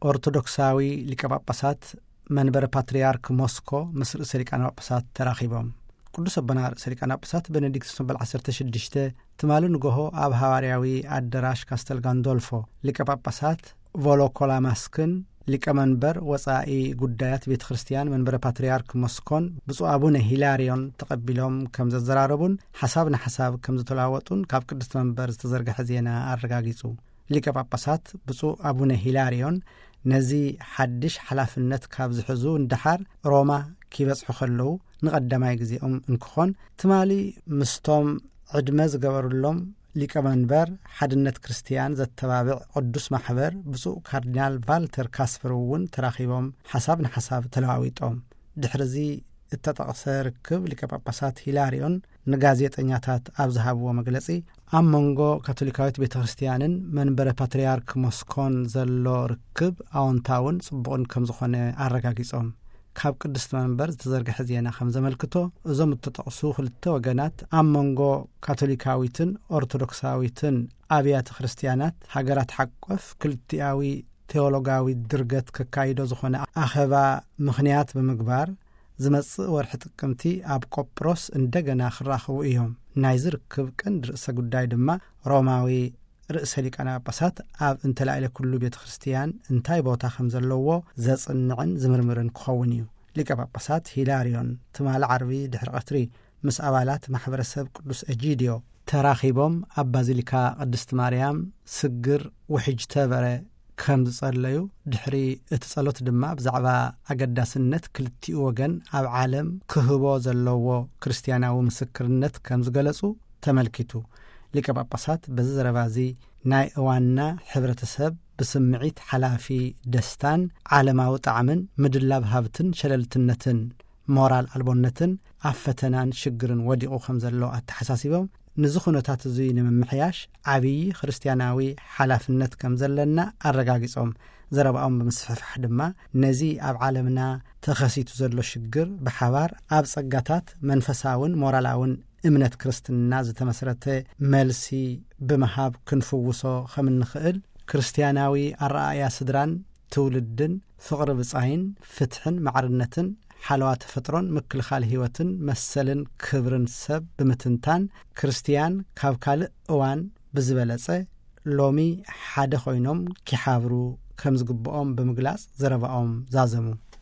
ኦርቶዶክሳዊ ሊቀ ጳጳሳት መንበረ ፓትርያርክ ሞስኮ ምስ ርእሰ ሊቃነ ጳጳሳት ተራኺቦም። ቅዱስ ኣቦና ርእሰ ሊቃነ ጳጳሳት ቤኔዲክቱስ መበል ዓሰርተ ሽዱሽተ ትማሊ ንጎሆ ኣብ ሃዋርያዊ ኣደራሽ ካስተል ጋንዶልፎ ሊቀ ጳጳሳት ቮሎኮላማስክን ሊቀ መንበር ወጻኢ ጉዳያት ቤተ ክርስቲያን መንበረ ፓትርያርክ ሞስኮን ብፁዕ ኣቡነ ሂላርዮን ተቐቢሎም ከም ዘዘራረቡን ሓሳብ ንሓሳብ ከም ዝተለዋወጡን ካብ ቅድስቲ መንበር ዝተዘርግሐ ዜና ኣረጋጊጹ። ሊቀ ጳጳሳት ብፁዕ ኣቡነ ሂላርዮን ነዚ ሓድሽ ሓላፍነት ካብ ዝሕዙ ንደሓር ሮማ ኪበጽሑ ከለዉ ንቐዳማይ ግዜኦም እንክኾን፣ ትማሊ ምስቶም ዕድመ ዝገበሩሎም ሊቀ መንበር ሓድነት ክርስትያን ዘተባብዕ ቅዱስ ማሕበር ብፁዕ ካርዲናል ቫልተር ካስፐር እውን ተራኺቦም ሓሳብ ንሓሳብ ተለዋዊጦም። ድሕሪ እዚ እተጠቕሰ ርክብ ሊቀ ጳጳሳት ሂላርዮን ንጋዜጠኛታት ኣብ ዝሃብዎ መግለጺ፣ ኣብ መንጎ ካቶሊካዊት ቤተ ክርስትያንን መንበረ ፓትርያርክ ሞስኮን ዘሎ ርክብ ኣወንታውን ጽቡቕን ከም ዝኾነ ኣረጋጊጾም። ካብ ቅድስቲ መንበር ዝተዘርግሐ ዜና ከም ዘመልክቶ፣ እዞም እተጠቕሱ ክልተ ወገናት ኣብ መንጎ ካቶሊካዊትን ኦርቶዶክሳዊትን ኣብያተ ክርስትያናት ሃገራት ሓቆፍ ክልቲኣዊ ቴዎሎጋዊ ድርገት ከካይዶ ዝኾነ ኣኸባ ምኽንያት ብምግባር፣ ዝመጽእ ወርሒ ጥቅምቲ ኣብ ቆጵሮስ እንደገና ክራኸቡ እዮም። ናይዚ ርክብ ቀንዲ ርእሰ ጉዳይ ድማ ሮማዊ ርእሰ ሊቃነ ጳጳሳት ኣብ እንተላዕለ ኩሉ ቤተ ክርስትያን እንታይ ቦታ ከም ዘለዎ ዘጽንዕን ዝምርምርን ክኸውን እዩ። ሊቀ ጳጳሳት ሂላርዮን ትማሊ ዓርቢ ድሕሪ ቀትሪ ምስ ኣባላት ማሕበረሰብ ቅዱስ ኤጂድዮ ተራኺቦም ኣብ ባዚሊካ ቅድስቲ ማርያም ስግር ውሕጅ ተበረ ከም ዝጸለዩ፣ ድሕሪ እቲ ጸሎት ድማ ብዛዕባ ኣገዳስነት ክልቲኡ ወገን ኣብ ዓለም ክህቦ ዘለዎ ክርስትያናዊ ምስክርነት ከም ዝገለጹ ተመልኪቱ። ሊቀ ጳጳሳት በዚ ዘረባ እዚ ናይ እዋንና ሕብረተሰብ ብስምዒት ሓላፊ ደስታን ዓለማዊ ጣዕምን ምድላብ ሃብትን ሸለልትነትን ሞራል ኣልቦነትን ኣብ ፈተናን ሽግርን ወዲቑ ከም ዘሎ ኣተሓሳሲቦም፣ ነዚ ኩነታት እዚ ንምምሕያሽ ዓብዪ ክርስትያናዊ ሓላፍነት ከም ዘለና ኣረጋጊጾም። ዘረባኦም ብምስፍሕፋሕ ድማ ነዚ ኣብ ዓለምና ተኸሲቱ ዘሎ ሽግር ብሓባር ኣብ ጸጋታት መንፈሳውን ሞራላውን እምነት ክርስትና ዝተመስረተ መልሲ ብምሃብ ክንፍውሶ ከም እንኽእል፣ ክርስትያናዊ ኣረኣእያ ስድራን ትውልድን፣ ፍቕሪ ብጻይን፣ ፍትሕን ማዕርነትን፣ ሓለዋ ተፈጥሮን ምክልኻል ህይወትን መሰልን ክብርን ሰብ ብምትንታን፣ ክርስትያን ካብ ካልእ እዋን ብዝበለጸ ሎሚ ሓደ ኮይኖም ኪሓብሩ ከም ዝግብኦም ብምግላጽ ዘረባኦም ዛዘሙ።